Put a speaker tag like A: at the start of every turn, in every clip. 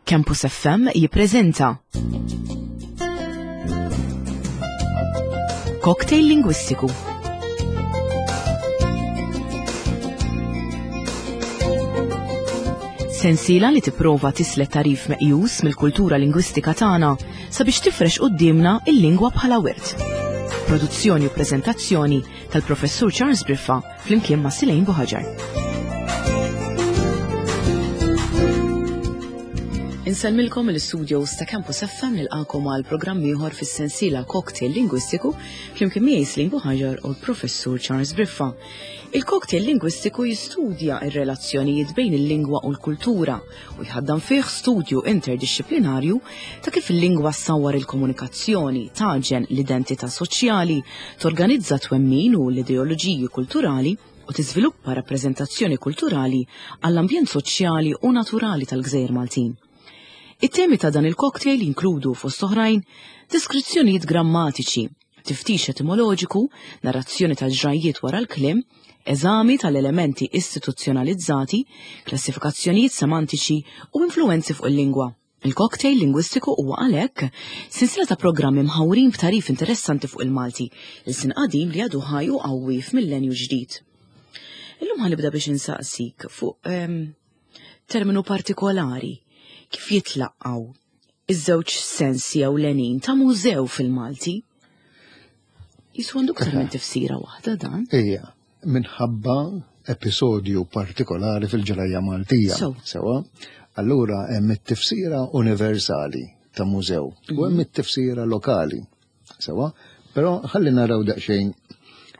A: Campus FM jippreżenta Cocktail Lingwistiku. Sensiela li tipprova tislet tarif meqjus mill-kultura lingwistika tagħna sabiex tifrex quddiemna il-lingwa bħala wirt. Produzzjoni u preżentazzjoni tal-Professur Charles Briffa flimkien ma' Silejn Buħaġar. Insellmilkom il-studios ta' Campus FM nilqakom għal programm ieħor fis-sensiela Cocktail Lingwistiku flimkien miegħi Silejn Buħaġar u l-Professur Charles Briffa. Il-cocktail lingwistiku jistudja ir-relazzjonijiet bejn il-lingwa u l-kultura u jħaddan fih studju interdixxiplinarju ta' kif il-lingwa ssawwar il-komunikazzjoni, tagħġen l-identità soċjali, torganizza twemmin u l-ideoloġiji kulturali u tiżviluppa rappreżentazzjoni kulturali għall-ambjent soċjali u naturali tal-Gżejjer Maltin. It-temi ta' dan il-cocktail jinkludu fost oħrajn deskrizzjonijiet grammatiċi, tiftix etimoloġiku, narrazzjoni tal-ġrajjiet wara l-kliem, eżami tal-elementi istituzzjonalizzati, klassifikazzjonijiet semantiċi u influwenzi fuq il-lingwa. Il-cocktail lingwistiku huwa għalhekk sensiela ta' programmi mħawrin b'tarif interessanti fuq il-Malti, il-sin qadim li għadu ħaj u qawwi f'millenju ġdid. Illum ħanibda biex insaqsik fuq ehm, terminu partikolari kif jitlaqqaw iż-żewġ sensi ewlenin ta' mużew fil-Malti. Jisu għandu ktar minn tifsira waħda dan.
B: Ija, minħabba episodju partikolari fil-ġrajja Maltija. Sewa, allura hemm it-tifsira universali ta' mużew u hemm mhm. it-tifsira lokali. Sewa, però ħalli naraw daqsxejn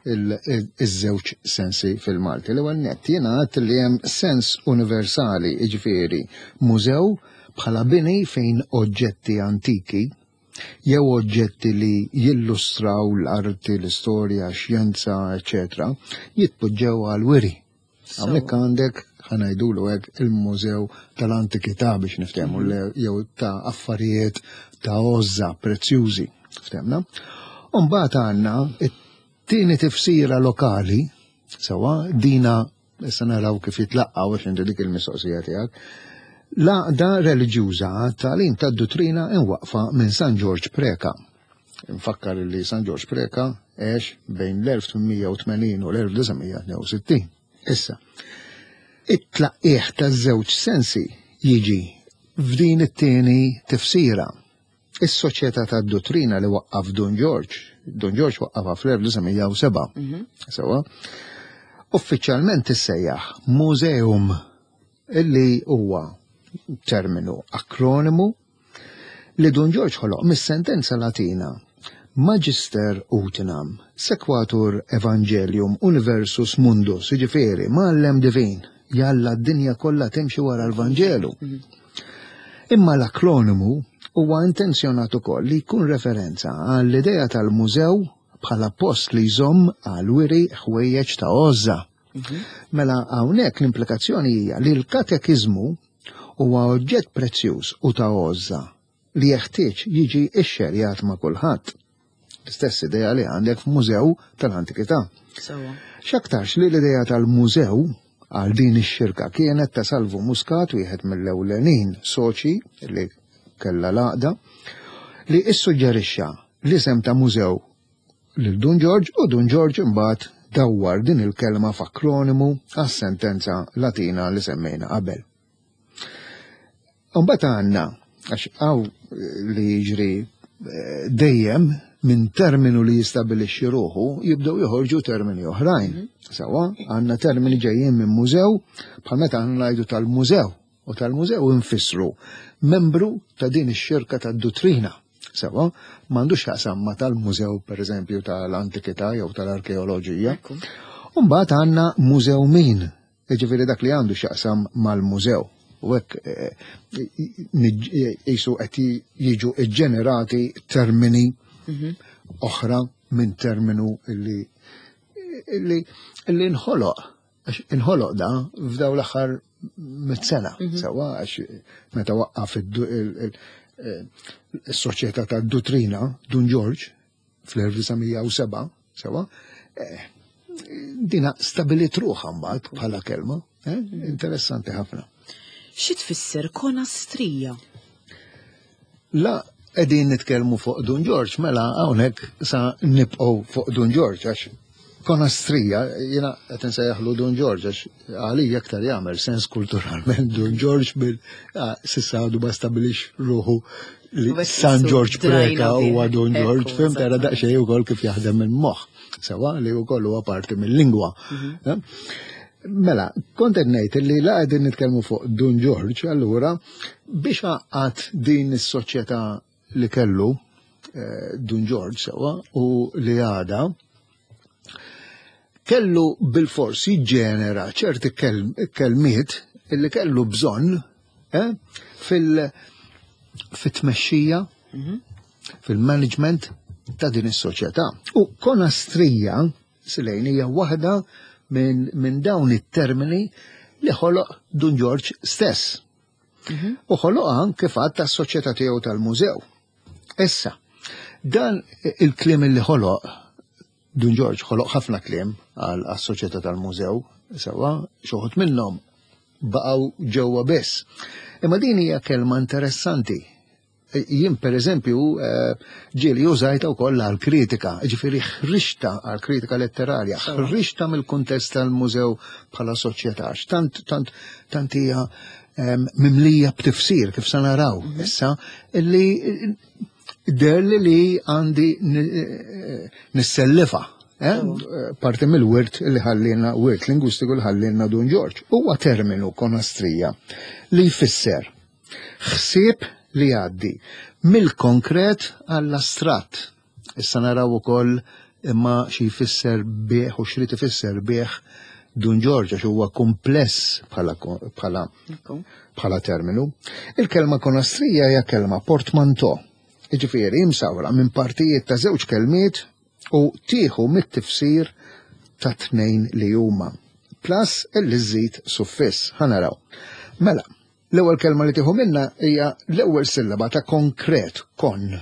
B: iż-żewġ sensi fil-Malti. L-ewwel nett jiena għedt li hemm sens universali, jiġifieri mużew bħala bini fejn oġġetti antiki jew oġġetti li jillustraw l-arti, l-istorja, x-xjenza, eċċetera, jitpoġġew għall-wiri. Hawnhekk għandek ħanajdulu hekk il-Mużew tal-Antikità biex niftehmu mhm. jew ta' affarijiet ta' għożża prezzjużi. Ftehmna? Umbagħad għandna it-tieni tifsira lokali, sewa dina issa naraw kif jitlaqqgħu għax inti dik il-mistoqsija tiegħek. L-għaqda reliġjuża tagħlim tad-duttrina imwaqqfa minn San Ġorġ Preka. Infakkar li San Ġorġ Preca għex bejn l-1880 u l-1962. Issa, it-tlaqqigħ taż-żewġ sensi jiġi f'din it-tieni tifsira. Is-Soċjetà tad-Duttrina li waqqaf Dun Ġorġ, Dun Ġorġ waqqafha fl-1907, mhm. sewa, uffiċjalment tissejjaħ Museum illi huwa terminu akronimu li Dun Ġorġ ħoloq mis-sentenza Latina Magister utinam, sequatur evangelium universius mundus, jiġifieri mgħallem divin, jalla d-dinja kollha timxi wara l-Vanġelu. Imma l-akronimu huwa intenzjonat ukoll li jkun referenza għall-idea tal-mużew bħala post li jżomm għall-wiri ħwejjeġ ta' għożża. Mela hawnhekk l-implikazzjoni hija li l-katekiżmu huwa oġġett prezzjuż u ta' għożża li jeħtieġ jiġi xxerjat ma' kulħadd. L-istess idea li għandek f'mużew tal-antikità. X'aktarx li l-idea tal-mużew għal din ix-xirka kienet ta' Salvu Muscat, wieħed mill-ewlenin soċi li kellha l-għaqda, li issuġġerixxa l-isem ta' mużew lil Dun Ġorġ u Dun Ġorġ imbagħad dawwar din il-kelma f'akronimu għas-sentenza Latina li semmejna qabel. Imbagħad għandna għax hawn li jiġri eh, dejjem minn terminu li jistabilixxi ruħu jibdew joħorġu termini oħrajn. Mhm. Sawa, għandna termini ġejjin minn mużew bħal meta aħna ngħidu tal-mużew u tal-mużew infissru membru ta' din ix-xirka tad-duttrina. Sewa, m'għandux x'jaqsam ma' tal-mużew pereżempju tal-antikità jew tal-arkeoloġija. Umbagħad għandna mużew min, jiġifieri dak li għandu x'jaqsam mal-mużew. U hekk eh, jisu qed jiġu ġġenerati termini mhm. oħra minn terminu illi illi nħoloq Għax inħoloq da f'daw l-aħħar mit-sena, mhm. sewa għax meta waqqaf il-soċjetà ta' duttrina Dun Ġorġ fl-1907, sewa, eh, dina stabilit ruħha mbagħad bħala kelma, eh, mhm. interessanti ħafna.
A: Xi tfisser konastrija?
B: La qegħdin nitkellmu fuq Dun Ġorġ, mela hawnhekk sa nibqgħu fuq Dun Ġorġ għax konastrija, jiena qed insejjaħlu Dun Ġorġ għax għalija aktar jagħmel sens kulturalment Dun Ġorġ bil s'issa għadu ma stabilix ruħu li San Ġorġ Preka huwa Dun Ġorġ, fim tara daqsxejn ukoll kif jaħdem il-moħħ, sewa li wkoll huwa parti mill-lingwa. Mhm. Mela, kont qed ngħid li la qegħdin nitkellmu fuq Dun Ġorġ, allura biex għaqqad din is-soċjetà li kellu eh, Dun Ġorġ sewwa u li għada kellu bil-fors jiġġenera ċerti kelmiet li kellu bżonn eh, fil- fit-tmexxija, mhm. fil-management ta' din is-soċjetà. U konastrija Silejn hija waħda minn min dawn it-termini li ħoloq Dun Ġorġ stess. Mhm. U ħoloqha kif għad tas-soċjetà tiegħu tal-mużew. Issa, dan il-kliem li ħoloq Dun Ġorġ ħoloq ħafna kliem għal soċjetà tal-mużew, sewa xoħut minnhom baqgħu ġewwa biss. Imma din hija kelma interessanti Jien per eżempju eh, ġieli użajta wkoll għal kritika, ġifieri ħrixta għal kritika letterarja, ħrixta mill-kuntest tal-mużew bħala soċjetà, tant tant tant hija ehm, mimlija b'tifsir kif sa naraw mhm. issa illi derli li għandi eh, nissellifa eh, parti mill-wirt li ħallina wirt lingwistiku li ħallina Dun Ġorġ. Huwa terminu konastrija li jfisser Ħsieb li jgħaddi mill-konkret għall-astratt. Issa naraw ukoll imma xi jfisser bih u xrid ifisser bih Dun Ġorġ għax huwa kumpless bħala bħala bħala terminu. Il-kelma konastrija hija kelma portmanteau. Jiġifieri imsawra minn partijiet ta' żewġ kelmiet u tieħu mit-tifsir ta' tnejn li huma. Plus illi żżid suffiss. Ħa naraw. Mela, L-ewwel kelma li tieħu minnha hija l-ewwel sillaba ta' konkret, kon.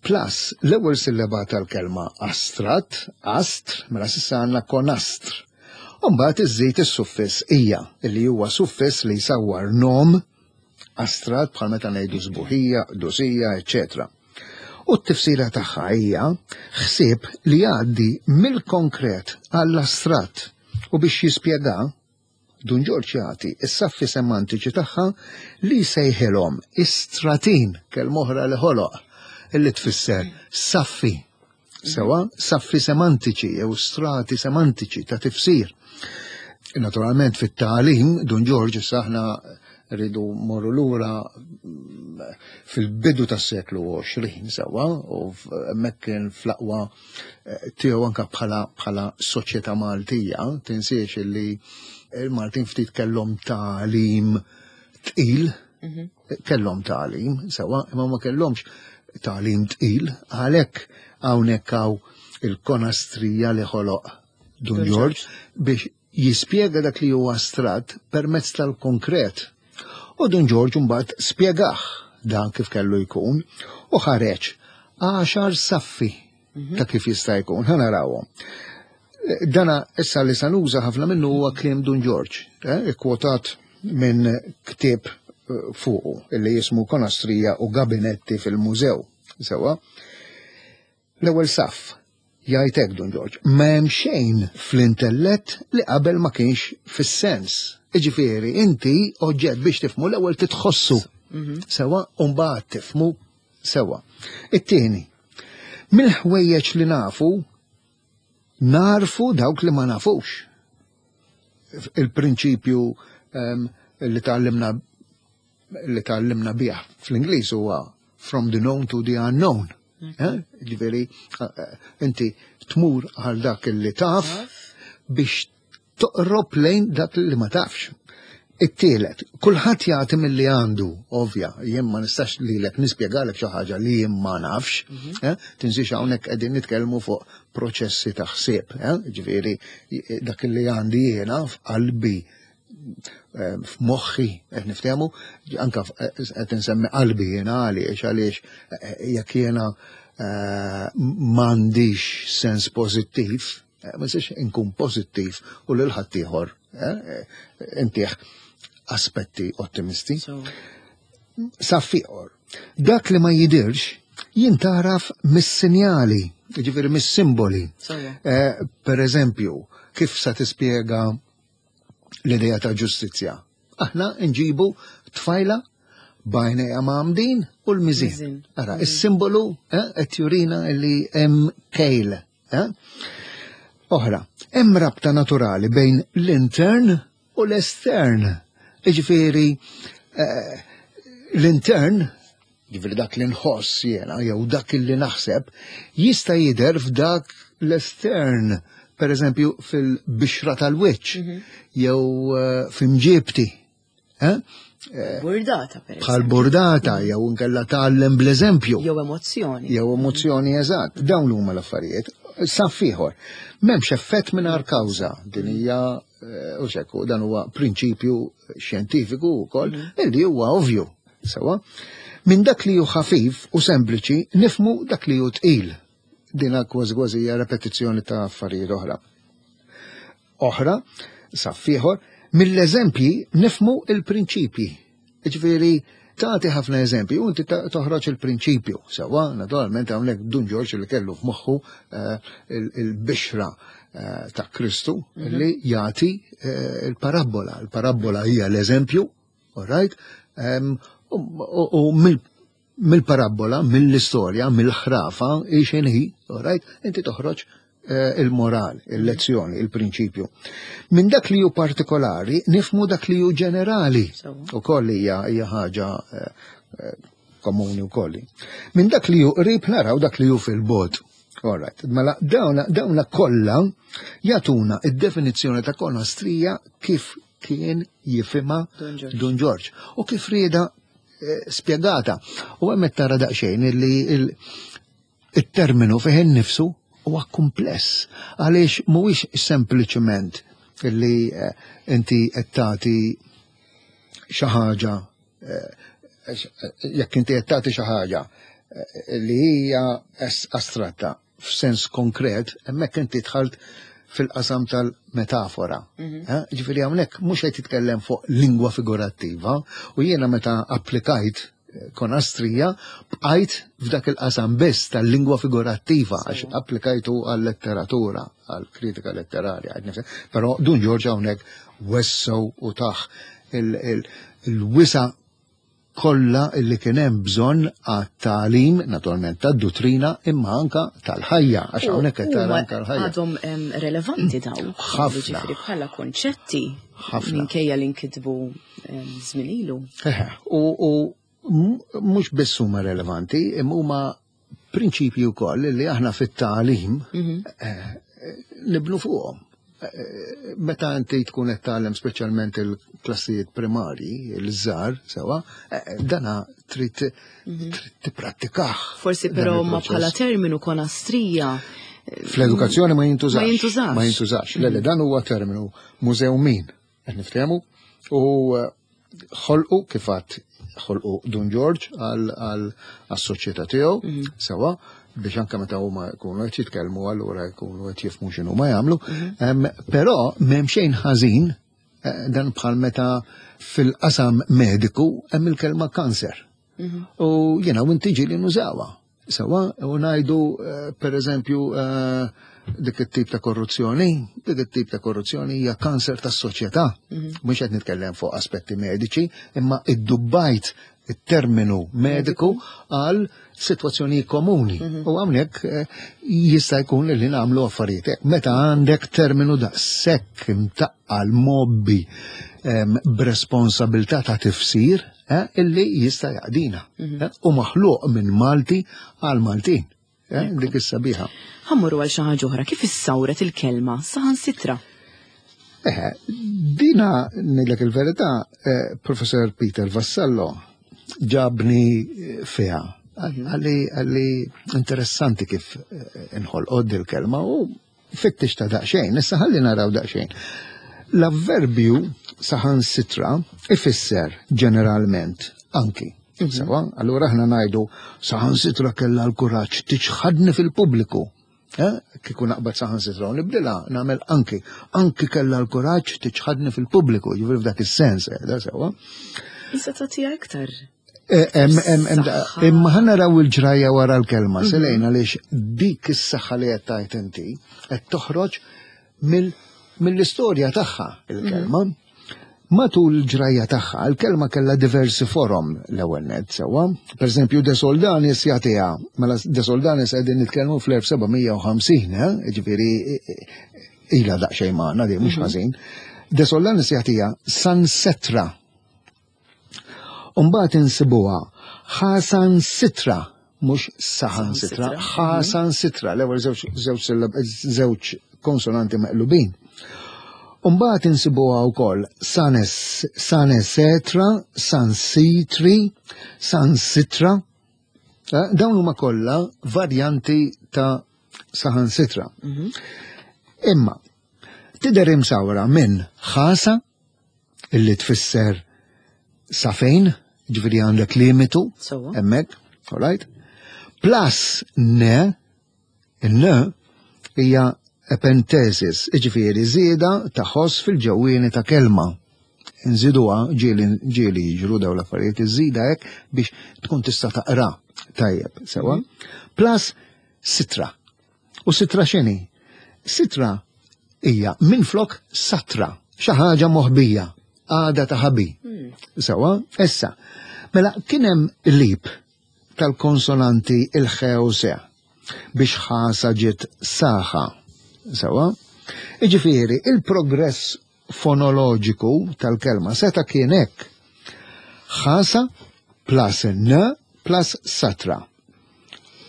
B: Plus l-ewwel sillaba tal-kelma astratt, astr, mela s'issa għandna konastr. U mbagħad iżżid is-suffiss ija, illi huwa suffiss li jsawwar nom astratt bħal meta ngħidu sbuħija, qdusija, eċċetera. U t-tifsira tagħha hija ħsieb li jgħaddi mill-konkret għall-astratt u biex jispjega Dun Ġorġ jagħti s-saffi semantiċi tagħha li jsejħilhom istratin, kelma oħra li ħoloq, illi tfisser saffi. Sewa, saffi semantiċi jew strati semantiċi ta' tifsir. Naturalment fit-tagħlim, Dun Ġorġ issa aħna rridu morru lura fil-bidu tas-seklu 20 sewa u hemmhekk kien fl-aqwa eh, tiegħu anka bħala bħala soċjetà Maltija, tinsiex li il-Maltin ftit kellhom tagħlim tqil, mhm. kellhom tagħlim, sewa, imma ma kellhomx tagħlim tqil, għalhekk hawnhekk hawn il-konastrija li ħoloq Dun Ġorġ biex jispjega dak li huwa astratt permezz tal-konkret. U Dun Ġorġ mbagħad spjegah dan kif kellu jkun u ħareġ għaxar saffi mhm. ta' kif jista' jkun. Ħa narawhom. Dana issa li sanuża ħafna minnu huwa kliem Dun Ġorġ, eh, ikkwotat minn ktieb eh, fuqu illi jismu Konastrija u Gabinetti fil-Mużew. Sewa. L-ewwel saff, jgħid hekk Dun Ġorġ, ma hemm xejn fl-intellett li qabel ma kienx fis-sens. Jiġifieri inti oġġett biex tifhmu l-ewwel titħossu mhm. sewa u mbagħad tifhmu sewa. It-tieni, mill-ħwejjeġ li nafu narfu dawk li ma nafux. Il-prinċipju ehm, li tgħallimna li tgħallimna bih fl-Ingliż huwa from the known to the unknown. Eh? Ġifieri, eh, eh, inti tmur għal dak li taf biex toqrob lejn dak li ma tafx. It-tielet, kulħadd jagħti milli għandu, ovvja, jien ma nistax lilek nispjegalek xi ħaġa li jien ma nafx, mhm. eh? tinsiex hawnhekk qegħdin nitkellmu fuq proċessi ta' ħsieb, eh? ġifieri dak li għandi jiena f'qalbi eh, f'moħħi qed niftehmu, anka qed insemmi qalbi jiena għaliex għaliex jekk jiena m'għandix sens pożittiv, Eh, ma nistax inkun pożittiv u lil ħaddieħor eh, eh, intih aspetti ottimisti. Saffiqor. Dak li ma jidirx jintaraf mis-sinjali, ġifieri mis-simboli. Eh, per eżempju, kif sa tispjega l-idea ta' ġustizzja? Aħna nġibu tfajla bajnejha mgħammdin u l-miżien. Ara, mm. is-simbolu eh, qed jurina li hemm kejl. Eh? Oħra, hemm rabta naturali bejn l-intern u l-estern. Iġifieri eh, l-intern, ġifieri dak li nħoss jiena jew dak li naħseb, jista' jidher f'dak l-estern, per eżempju fil-bixra tal-wiċċ mhm. jew eh, f'imġiebti.
A: Eh? Burdata, per
B: Bħal burdata, mhm. jew inkella tgħallem bl-eżempju.
A: Jew emozzjoni.
B: Jew emozzjoni, eżatt. Dawn huma l-affarijiet. Saff ieħor. M'hemmx effett mingħajr kawża. Din hija Eh, u xekku, dan huwa prinċipju xjentifiku wkoll mhm. illi huwa ovvju. Sewa. Minn dak li hu ħafif u sempliċi nifmu dak li hu tqil. Dina kważi kważi hija repetizzjoni ta' affarijiet oħra. Oħra, saffieħor, mill-eżempji nifmu il-prinċipji. Ġifieri tagħti ħafna eżempji u inti toħroġ il-prinċipju. Sewwa, naturalment hawnhekk Dun Ġorġ li kellu f'moħħu eh, il-bixra eh, ta' Kristu mhm. li jagħti eh, il-parabbola. Il-parabbola hija l-eżempju, all right? U mill-parabbola, mill-istorja, mill-ħrafa, hi x'inhi, all right? Inti toħroġ Eh, il-moral, il-lezzjoni, il-prinċipju. Minn dak li hu partikolari, nifmu dak li hu ġenerali. U koll hija hija ħaġa eh, eh, komuni u kolli. Minn dak li hu qrib naraw dak li hu fil-bot. Alright, mela dawna, dawna kollha jagħtuna id-definizzjoni ta' konastrija kif kien jifhimha Dun Ġorġ u kif rieda spjegata. U hemmhekk tara daqsxejn li It-terminu fih innifsu huwa kumpless għaliex mhuwiex sempliċement li eh, inti qed tagħti xi ħaġa eh, jekk inti qed tagħti xi ħaġa eh, li hija astratta f'sens konkret, hemmhekk inti dħalt fil-qasam tal-metafora. Mhm. Eh, ġifieri hawnhekk mhux qed jitkellem fuq lingwa figurattiva u jiena meta applikajt konastrija bqajt f'dak il-qasam biss tal-lingwa figurattiva għax applikajtu għal-letteratura, għal-kritika letterarja. Però Dun Ġorġ hawnhekk wessew u taħ il-wisa kollha li kien hemm bżonn għat-tagħlim, naturalment tad-duttrina, imma anka tal-ħajja, għax hawnhekk qed tara anka l-ħajja.
A: Għadhom relevanti daw.
B: Ħafna.
A: Bħala konċetti. Ħafna. Minkejja li nkitbu żmien ilu.
B: U mhux biss huma relevanti, imma huma prinċipji wkoll li aħna fit-tagħlim mhm. eh, nibnu fuqhom. Eh, meta inti tkun qed tagħlem speċjalment il-klassijiet primarji, il-żgħar, sewa, eh, dana trid mhm. tipprattikah.
A: Forsi però ma bħala terminu konastrija.
B: Fl-edukazzjoni ma jintużax.
A: Ma jintużax.
B: Ma jintużax. Le, mhm. dan huwa terminu mużew min. Qed niftehmu? U eh, ħolqu kif għad ħolqu Dun Ġorġ għal-soċjetà tiegħu, mhm. sewa, biex anke meta huma jkunu qed jitkellmu allura jkunu qed jifhmu x'inhu ma jagħmlu. Mhm. Però m'hemm xejn ħażin eh, dan bħal meta fil-qasam mediku hemm il-kelma kanser. Mhm. U jiena u inti ġieli nużawha. Sewa, u ngħidu eh, per eżempju eh, dik it-tip ta' korruzzjoni, dik it-tip ta' korruzzjoni hija kanser tas-soċjetà. Mhm. Mhux qed nitkellem fuq aspetti mediċi, imma iddubbajt it-terminu mediku għal situazzjoni komuni. Mhm. U hawnhekk eh, jista' jkun li nagħmlu affarijiet. Meta għandek terminu daqshekk imtaqqal mobbi b'responsabilità ta' tifsir, eh, illi jista' jaqdina. Mhm. Eh, u maħluq minn Malti għal Maltin. Eh, dik is-sabiħa.
A: Ħammuru għal xi ħaġa oħra, kif issawret il-kelma saħansitra?
B: Eh, dina ngħidlek il-verità, eh, Professor Peter Vassallo ġabni eh, fiha. Mhm. Għalli għalli interessanti kif inħolqod il-kelma u Fittix ta' daqsxejn, issa ħalli naraw daqsxejn. L-avverbju saħansitra ifisser ġeneralment anki. Mhm. Sewa, allura aħna ngħidu saħansitra kellha l-kuraġġ tiċħadni fil-pubbliku. Eh? Kieku naqbad saħansitra u nibdilha nagħmel anki. Anki kellha l-kuraġġ tiċħadni fil-pubbliku, jiġifieri f'dak is-sens, eh, da sewa.
A: Issa tagħtiha iktar.
B: Eh, imma ħa naraw il-ġrajja wara l-kelma, mhm. Selejna għaliex dik is-saħħa li qed tgħid inti qed toħroġ mill-istorja tagħha il-kelma. Mhm. Matul il-ġrajja tagħha, il-kelma kellha diversi forom l-ewwel nett sewwa. Pereżempju De Soldanis jagħtiha, mela De Soldanis qegħdin nitkellmu fl-1750, eh? ġifieri ilha daqsxejn magħna di mhux mhm. ħażin. De Soldanis jagħtiha San Setra. Umbagħad insibuha Ħasan Sitra, mhux Saħan Sitra, Ħasan Sitra, l-ewwel żewġ konsonanti meqlubin. Umbagħad insibuha wkoll Sanesetra, San Sitri, San Sitra. Eh, dawn huma kollha varjanti ta' saħansitra. Mhm. Imma tidher imsawra minn ħasa illi tfisser sa fejn, ġifieri għandek limitu hemmhekk, all right? Plus ne, ne hija epentesis, ġifieri żieda ta' ħoss fil-ġewwieni ta' kelma. Nżiduha ġieli ġieli jiġru dawn l-affarijiet, iżida hekk biex tkun tista' taqra tajjeb, sewa. Mhm. Plus sitra. U sitra x'inhi? Sitra hija minflok satra, xi ħaġa moħbija, għada ta' ħabi. Hmm. Sewa, issa, mela kien hemm lip tal-konsonanti il-ħe u se biex ħasa ġiet saħa. Sewa, iġifieri il-progress fonoloġiku tal-kelma seta' kien hekk. Ħasa plus n plus satra.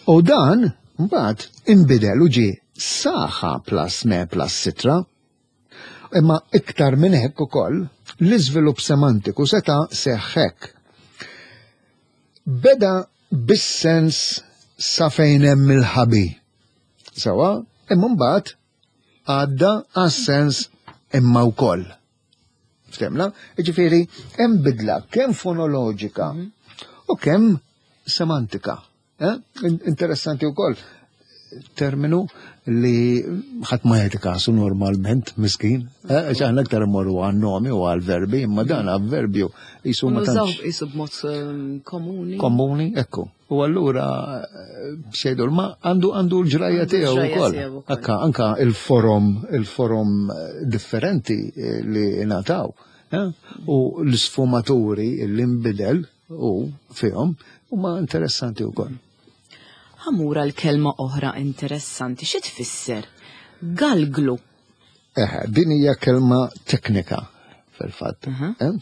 B: U dan mbagħad inbidel u ġie saħa plus ne plus sitra. Imma iktar minn hekk ukoll l-iżvilupp semantiku seta' seħħ hekk. Beda bis-sens sa fejn hemm il-ħabi. Sewa, imma mbagħad għadda għas-sens imma wkoll. Ftemna? Ġifieri hemm bidla kemm fonoloġika mhm. u kemm semantika. Eh? Interessanti wkoll terminu li ħadd ma jagħti kasu normalment miskin. Eh, għax aħna aktar immorru għan nomi u għal verbi, imma dan avverbju jisu ma tantx.
A: Jisu b'mod ehm, komuni.
B: Komuni, ekku. U allura xejdu ma għandu għandu l-ġrajja tiegħu wkoll. Anka anka il-forom il-forom eh, differenti eh, li ngħataw. Eh, u l-sfumaturi li nbidel u fihom huma interessanti wkoll.
A: Ħamura l-kelma oħra interessanti xi tfisser? Galglu.
B: Eh, din hija kelma teknika fil-fatt. Eh?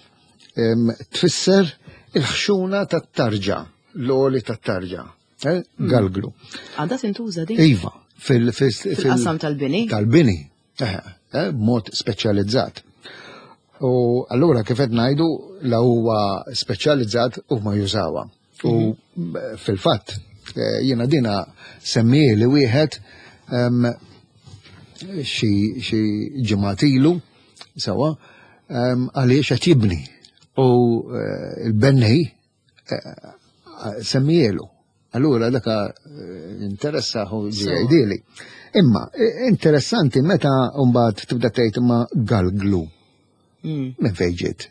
B: Tfisser il-ħxuna tat-tarġa, l-oli tat-tarġa. Eh? Hmm. Galglu.
A: Għadha tintuża din?
B: Iva,
A: fil-qasam tal-bini.
B: Tal-bini, eh, b'mod speċjalizzat. U allura kif qed ngħidu la huwa speċjalizzat u ma jużawha. U mhm. fil-fatt eh, jiena dina semmieli wieħed xi ġimgħat ilu sewwa għaliex qed jibni u eh, l-bennej eh, semmielu. Allura daka interessaħu ġieli. Imma interessanti meta mbagħad tibda tgħid ma galglu. Mm. Minn fejn ġiet?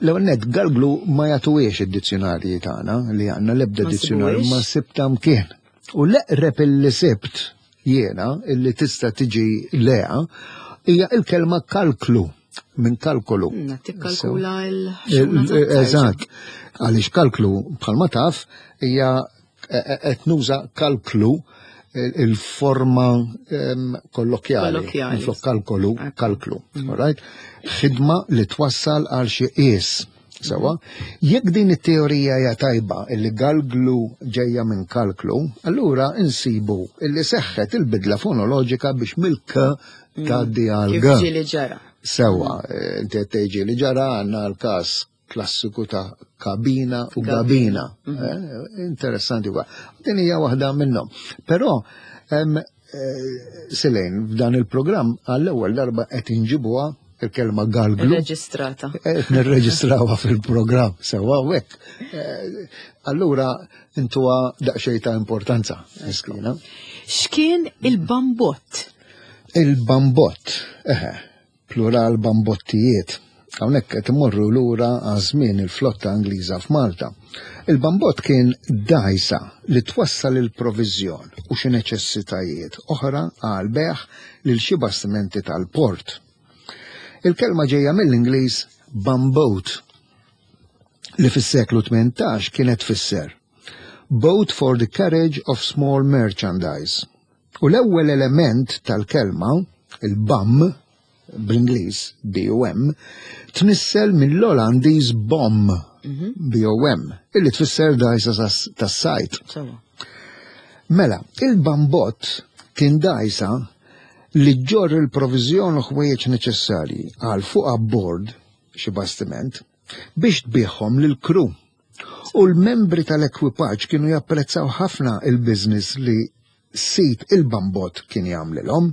B: L-ewwel nett galglu ma jagħtuhiex id-dizzjonarji tagħna li għandna l-ebda dizzjonarju ma sibta mkien. U l-eqreb illi sibt jiena illi tista' tiġi leha hija il-kelma kalklu minn kalkolu.
A: Mm, tikkalkula il
B: Eżatt. Għaliex kalklu bħalma taf hija qed nuża kalklu il-forma kollokjali, minflok kalkolu, kalklu, mhm. alright? Ħidma li twassal għal xi qies. Sewa, jekk din it-teorija hija tajba illi galglu ġejja minn kalklu, allura insibu illi seħħet il-bidla fonoloġika biex mill-k mm. tgħaddi għal g.
A: Ġieli ġara.
B: Sewa, eh, inti qed tgħid li ġara għandna l-każ klassiku ta' kabina u gabina. Mhm. Eh, interessanti wa. Din hija waħda minnhom. Però eh, Selene, f'dan il-programm għall-ewwel darba qed inġibuha il-kelma galglu.
A: Reġistrata.
B: Qed nirreġistrawha fil-programm sewwa hekk. Eh, allura intuha daqsxejn ta' importanza, miskina.
A: X'kien il-bambott?
B: Il-bambott, eħe, plural bambottijiet. Hawnhekk qed immorru lura għaż-żmien il-flotta Ingliża f'Malta. Il-bambot kien dgħajsa li twassal il-proviżjon u xi neċessitajiet oħra għall-bejgħ lil xi bastimenti tal-port. Il-kelma ġejja mill-Ingliż bumboat li fis-seklu 18 kienet tfisser boat for the carriage of small merchandise. U l-ewwel element tal-kelma, il-bum, bl-Ingliż, B-U-M, tnissel mill-Olandiż bom, mhm. B-O-M, illi tfisser dajsa tas-sajt. Mela, il-bambot kien dajsa li ġorr il-proviżjon u ħwejjeġ neċessarji għal fuq abbord xi bastiment biex tbigħhom lill-kru. U l-membri tal-ekwipaġġ kienu japprezzaw ħafna il-business li sid il-bambot kien jagħmlilhom.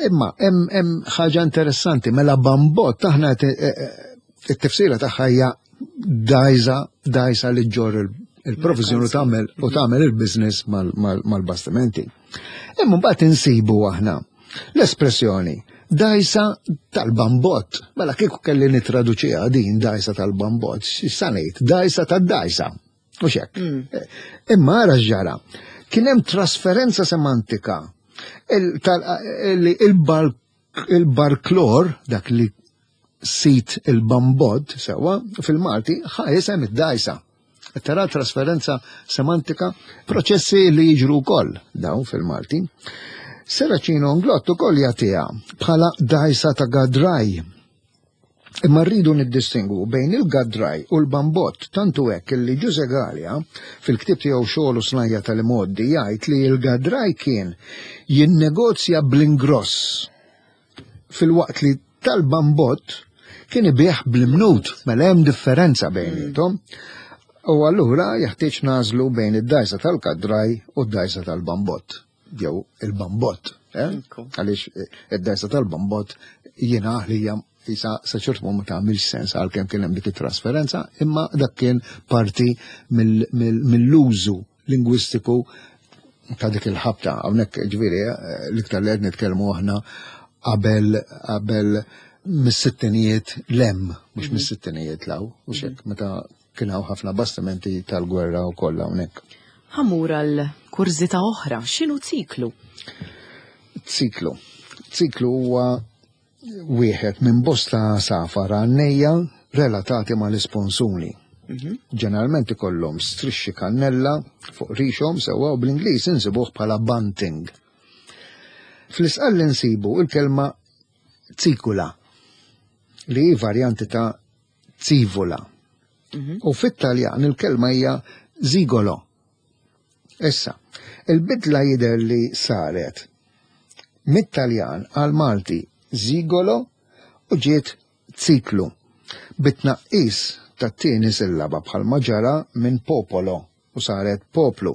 B: Imma hemm ħaġa interessanti, mela bambot aħna eh, eh, it-tifsira tagħha hija dajsa dajsa li ġġorr il-provizjon u tagħmel u tagħmel il-business mal-bastimenti. Imma mbagħad insibu aħna l-espressjoni dajsa tal-bambot. Mela kieku kelli nitraduċiha din dajsa tal-bambot, x'sa ngħid? Dajsa tad-dajsa. U xek. Mm. Imma ara x'ġara. Kien hemm trasferenza semantika il-barklor, dak li sit il-bambod, sewa, fil-Malti, ħa isem id-dajsa. Tara trasferenza semantika, proċessi li jiġru wkoll dawn fil-Malti. Seracino Nglott ukoll jagħtiha bħala dajsa ta' gadraj. Imma rridu niddistingwu bejn il-gadraj u l-bambott tant hu hekk illi Ġuże Galea fil-ktieb tiegħu Xogħol u Snajja' tal-Imgħoddi jgħid li l-gadraj kien jinnegozja bl-ingross filwaqt li tal-bambott kien ibigħ bl-imnut, mela hemm differenza bejniethom. U allura jeħtieġ nagħżlu bejn id-dgħajsa tal-kadraj u d-dgħajsa tal-bambott. jew il-bambot, eh? għaliex eh, id-dajsa tal-bambot jiena għalija jisa sa ċert ma tagħmilx sens għalkemm kien hemm dik it-trasferenza, imma dak kien parti mill-użu lingwistiku ta' dik il-ħabta. Hawnhekk ġifieri eh, l-iktar li qed nitkellmu aħna qabel qabel mis-sittinijiet lem, mhux mhm. mis-sittinijiet law, u xek, mhm. meta Kien hawn ħafna bastimenti tal-gwerra wkoll hawnhekk.
A: Ħa mmur għal kurżità oħra, x'inhu ċiklu?
B: Ċiklu. Ċiklu huwa wieħed minn bosta għasafar għannejja relatati mal-isponsuni. Mhm. Ġeneralment ikollhom strixxi kannella fuq rixhom sewwa u bl-Ingliż insibuh bħala bunting. Fl-isqalli nsibu il-kelma ċikula li hi varjanti ta' Zivola. Mhm. U fit-Taljan il-kelma hija zigolo. Issa, il-bidla jidher li saret mit-Taljan għal Malti zigolo u ġiet ziklu bit-tnaqqis tat-tieni sillaba bħalma ġara minn popolo u saret poplu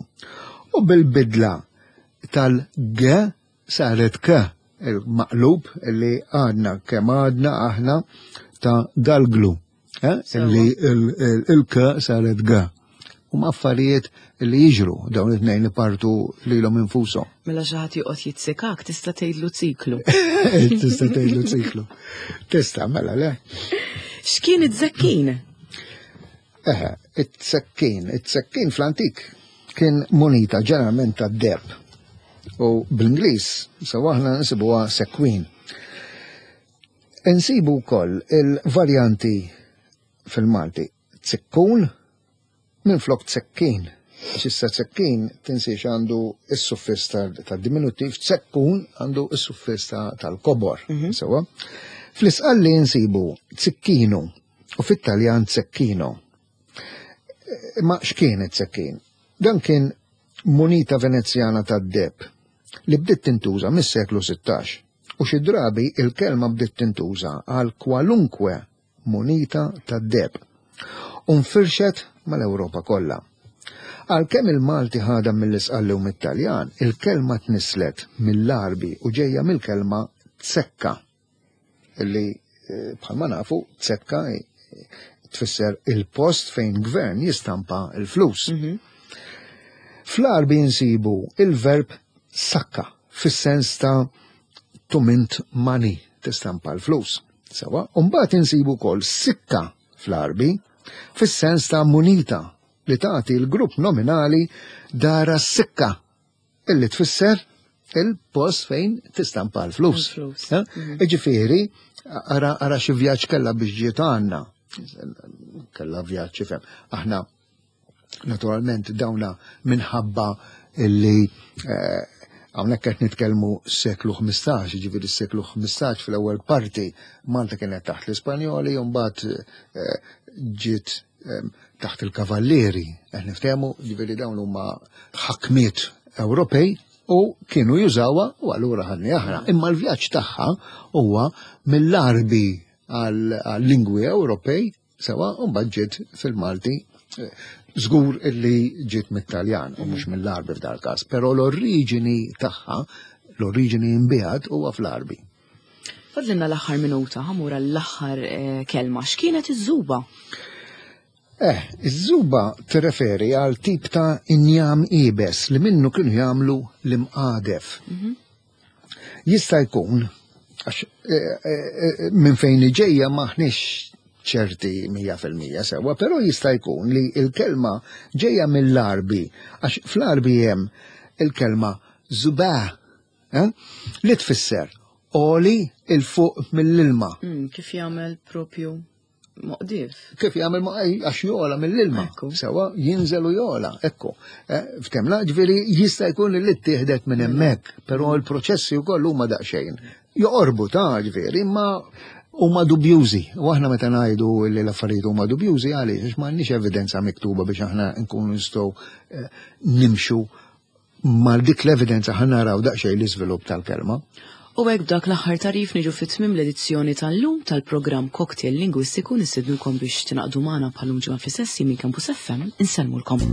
B: u bil-bidla tal-g saret k il-maqlub li għadna kemm għadna aħna ta' dal-glu. Eh? Li il-k saret g. Huma affarijiet li jiġru dawn it-tnejn li partu lilhom infushom.
A: Mela xi ħadd joqgħod jitsikak tista' tgħidlu ċiklu.
B: Tista' tgħidlu ċiklu. Tista' mela le.
A: X'kien it-żekkin?
B: Eħe, it-sekkin, it-sekkin fl-antik kien munita ġeneralment tad-deheb. U bl-Ingliż sew aħna nsibuha sekwin. Insibu wkoll il-varjanti fil-Malti tsikkun minflok tsekkin. Għax issa tsekkin tinsiex għandu s-suffiss tad-diminuttiv, tsekkun għandu s-suffiss tal-kobor. Mhm. Sewa. Fl-isqalli nsibu tsikkinu u fit-Taljan zecchino. Imma x'kien it-zekkin? Dan kien munita Venezjana tad-deheb li bdiet tintuża mis-seklu 16 u xi drabi il-kelma bdiet tintuża għal kwalunkwe munita tad-deheb u nfirxet mal-Ewropa kollha. Għalkemm il-Malti ħadha mill-Isqalli u mit-Taljan, il-kelma tnisslet mill-Għarbi u ġejja mill-kelma zekka. Li eh, bħalma nafu zekka eh, tfisser il-post fejn gvern jistampa il-flus. Mhm. Fl-Għarbi nsibu il-verb sakka fis-sens ta' to mint money, tistampa l-flus. Sewa, u mbagħad insibu wkoll sikka fl-Għarbi fis-sens ta' munita li tagħti l-grupp nominali dara sikka illi tfisser il-post fejn tistampa l-flus. Eh? Mhm. Iġifieri, ara ara xi vjaġġ kellha biex ġiet għandna. Kellha vjaġġ ifhem. Aħna naturalment dawna minħabba illi eh, hawnhekk qed nitkellmu seklu 15, ġifieri s-seklu 15 fl-ewwel parti Malta kienet taħt l-Ispanjoli u mbagħad eh, ġiet taħt il-kavallieri, qed niftehmu, ġifieri dawn huma ħakmiet Ewropej u kienu jużawha u allura ħadni aħna. Imma l-vjaġġ tagħha huwa mill-Għarbi għal-lingwi Ewropej sewa u mbagħad ġiet fil-Malti eh, żgur illi ġiet mit-Taljan u mhux mill-Għarbi f'dal każ, però l-oriġini tagħha, l-oriġini imbiegħed huwa fl-Għarbi.
A: Fadlilna l-aħħar minuta, ħamur l-aħħar eh, kelma. X'kienet iż-żuba?
B: Eh, iż-żuba tirreferi għal tip ta' injam ibes li minnu kienu jagħmlu l-imqadef. Mhm. Jista' jkun, għax eh, eh, minn fejn ġejja maħniex ċerti 100% sewa, però jista' jkun li l-kelma ġejja mill-Arbi, għax fl-Arbi hemm il-kelma zubah Eh? Li tfisser oli il fuq mill-ilma.
A: Mm, kif jagħmel propju moqdif.
B: Kif jagħmel għax jola mill-ilma. Sewa jinżel u jola, ekku. Eh, ftemna, ġifieri jista' jkun li ttieħdet minn hemmhekk, però l-proċessi wkoll huma daqsxejn. Joqorbu ta' ġifieri, imma huma dubjużi. U aħna meta ngħidu li l-affarijiet huma dubjużi għaliex għax m'għandniex evidenza miktuba biex aħna nkunu nistgħu eh, nimxu Mal dik l-evidenza ħa naraw daqsxejn l-iżvilupp tal-kelma.
A: U hekk b'dak l-aħħar tagħrif niġu fi tmiem l-edizzjoni tal-lum tal-programm Cocktail Lingwistiku nistednukom biex tingħaqdu magħna bħal-lum ġimgħa fl-istess minn Campus FM insellmulkom.